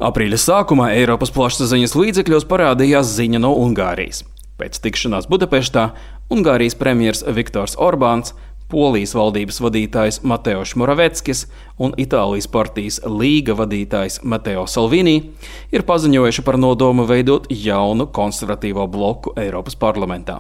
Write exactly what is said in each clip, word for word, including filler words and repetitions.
Aprīļa sākumā Eiropas plašsaziņas līdzekļos parādījās ziņa no Ungārijas. Pēc tikšanās Budapeštā Ungārijas premjers Viktors Orbāns, Polijas valdības vadītājs Mateoš Moraveckis un Itālijas partijas Līga vadītājs Matteo Salvini ir paziņojuši par nodomu veidot jaunu konservatīvo bloku Eiropas parlamentā.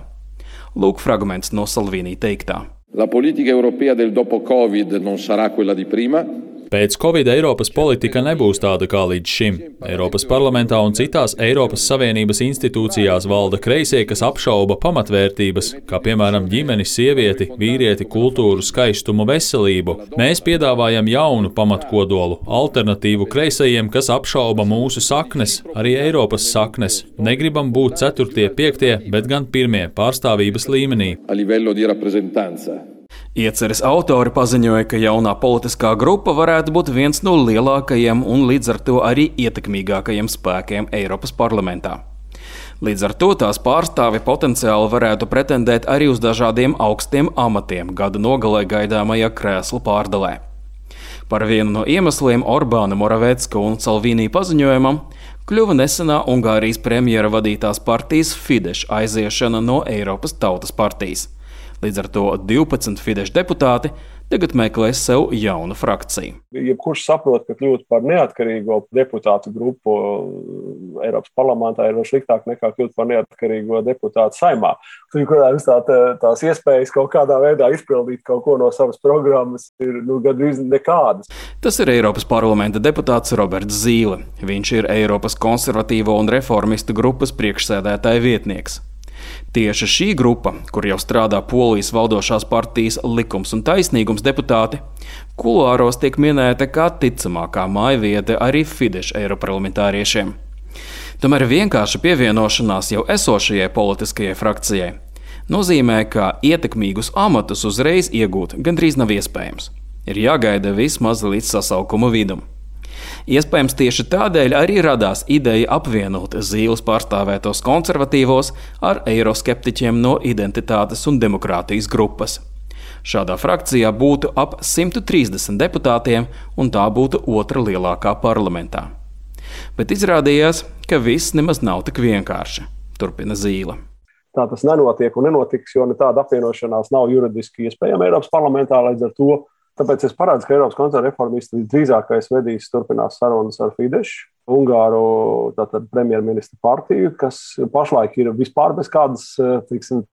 Lūk fragments no Salvini teiktā. La politica europea del dopo Covid non sarà quella di prima. Pēc Covid Eiropas politika nebūs tāda kā līdz šim. Eiropas parlamentā un citās Eiropas Savienības institūcijās valda kreisie, kas apšauba pamatvērtības, kā piemēram ģimeni, sievieti, vīrieti, kultūru, skaistumu, veselību. Mēs piedāvājam jaunu pamatkodolu, alternatīvu kreisajiem, kas apšauba mūsu saknes, arī Eiropas saknes. Negribam būt ceturtie, piektie, bet gan pirmie pārstāvības līmenī. A livello di rappresentanza. Ieceres autori paziņoja, ka jaunā politiskā grupa varētu būt viens no lielākajiem un līdz ar to arī ietekmīgākajiem spēkiem Eiropas parlamentā. Līdz ar to tās pārstāvi potenciāli varētu pretendēt arī uz dažādiem augstiem amatiem gada nogalē gaidāmajā krēslu pārdalē. Par vienu no iemesliem Orbāna, Moravecka un Salvini paziņojumam kļuva nesenā Ungārijas premjera vadītās partijas Fidesz aiziešana no Eiropas Tautas partijas. Līdz ar to divpadsmit Fidesz deputāti tagad meklēs sev jaunu frakciju. Jebkurš saprot, ka kļūt par neatkarīgo deputātu grupu Eiropas parlamentā ir vēl sliktāk nekā kļūt par neatkarīgo deputātu Saeimā. Tur, kurās tā, tās iespējas kaut kādā veidā izpildīt kaut ko no savas programmas ir nu, gandrīz nekādas. Tas ir Eiropas parlamenta deputāts Roberts Zīle. Viņš ir Eiropas konservatīvo un reformistu grupas priekšsēdētāja vietnieks. Tieši šī grupa, kur jau strādā Polijas valdošās partijas Likums un taisnīgums deputāti, kuluāros tiek minēta kā ticamākā mājvieta arī Fidesz eiroparlamentāriešiem. Tomēr vienkārši pievienošanās jau esošajai politiskajai frakcijai nozīmē, ka ietekmīgus amatus uzreiz iegūt gandrīz nav iespējams. Ir jāgaida vismaz līdz sasaukuma vidum. Iespējams, tieši tādēļ arī radās ideja apvienot Zīles pārstāvētos konservatīvos ar eiroskeptiķiem no Identitātes un demokrātijas grupas. Šādā frakcijā būtu ap simt trīsdesmit deputātiem, un tā būtu otra lielākā parlamentā. Bet izrādījās, ka viss nemaz nav tik vienkārši, turpina Zīle. Tā tas nenotiek un nenotiks, jo tāda apvienošanās nav juridiski iespējama Eiropas parlamentā, līdz ar to. Tāpēc es parādzu, ka Eiropas konservatīvisti visdrīzākais vedīs turpinās sarunas ar Fidesz, Ungāru tātad premjerministra partiju, kas pašlaik ir vispār bez kādas, tiksim,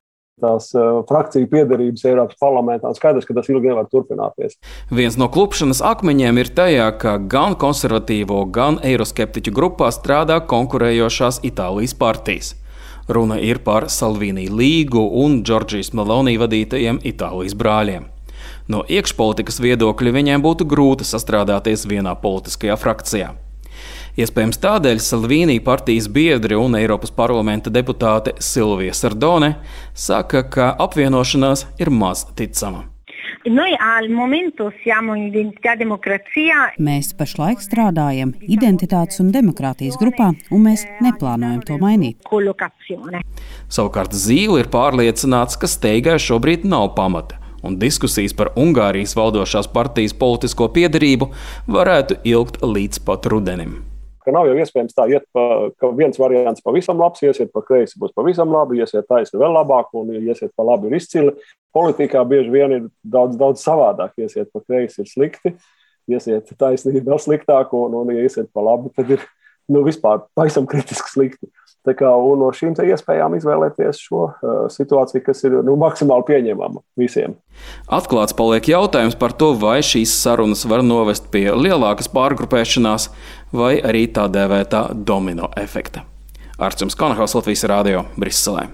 tās frakciju piederības Eiropas parlamentā. Skaidrs, ka tas ilgi nevar turpināties. Viens no klupšanas akmeņiem ir tajā, ka gan konservatīvo, gan eiroskeptiķu grupā strādā konkurējošās Itālijas partijas. Runa ir par Salvini Līgu un Džordžijas Meloni vadītajiem Itālijas brāļiem. No iekšpolitikas viedokļa viņiem būtu grūti sastrādāties vienā politiskajā frakcijā. Iespējams tādēļ Salvini partijas biedri un Eiropas parlamenta deputāte Silvija Sardone saka, ka apvienošanās ir maz ticama. Mēs pašlaik strādājam Identitātes un demokrātijas grupā, un mēs neplānojam to mainīt. Savukārt Zīle ir pārliecināts, ka steigai šobrīd nav pamata, un diskusijas par Ungārijas valdošās partijas politisko piederību varētu ilgt līdz pat rudenim. Ka nav jau iespējams tā iet, pa, ka viens variants pavisam labs, iesiet pa kreisi būs pavisam labi, iesiet taisni vēl labāk un iesiet pa labi ir izcili. Politikā bieži vien ir daudz, daudz savādāk, iesiet pa kreisi ir slikti, iesiet taisni vēl sliktāk un, un ja iesiet pa labi, tad ir nu, vispār pavisam kritiski slikti. Tā kā, un no šīm iespējām izvēlēties šo uh, situāciju, kas ir nu, maksimāli pieņemama visiem. Atklāts paliek jautājums par to, vai šīs sarunas var novest pie lielākas pārgrupēšanās vai arī tā dēvētā domino efekta. Arčuns Konahaus, Latvijas radio, Briselē.